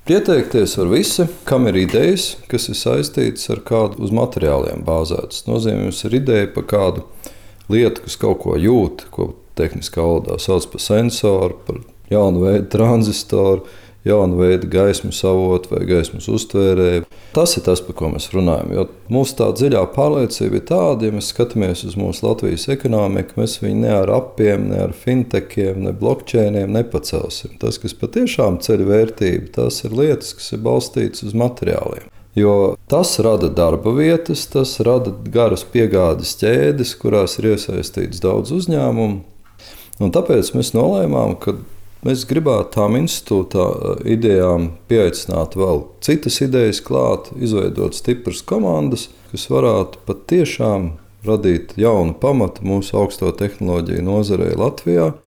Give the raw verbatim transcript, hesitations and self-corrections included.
Pieteikties var visi, kam ir idejas, kas ir saistītas ar kādu uz materiāliem bāzētas. Tas nozīmē, jums ir ideja par kādu lietu, kas kaut ko jūt, ko tehniskā valodā sauc par sensoru, par jaunu veidu transistoru, jaunu veidu gaismas avotu vai gaismas uztvērēju. Tas ir tas, par ko mēs runājam. Jo mūsu tā dziļā pārliecība ir tāda, ja mēs skatāmies uz mūsu Latvijas ekonomiku, mēs viņu ne ar appiem, ne ar fintechiem, ne blockchainiem nepacelsim. Tas, kas patiešām ceļ vērtību, tas ir lietas, kas ir balstītas uz materiāliem. Jo tas rada darba vietas, tas rada garas piegādes ķēdes, kurās ir iesaistīts daudz uzņēmumu. Un tāpēc mēs nolēmām, ka mēs gribētu tām institūtā idejām pieaicināt vēl citas idejas klāt, izveidot stipras komandas, kas varētu patiešām radīt jaunu pamatu mūsu augsto tehnoloģiju nozarei Latvijā.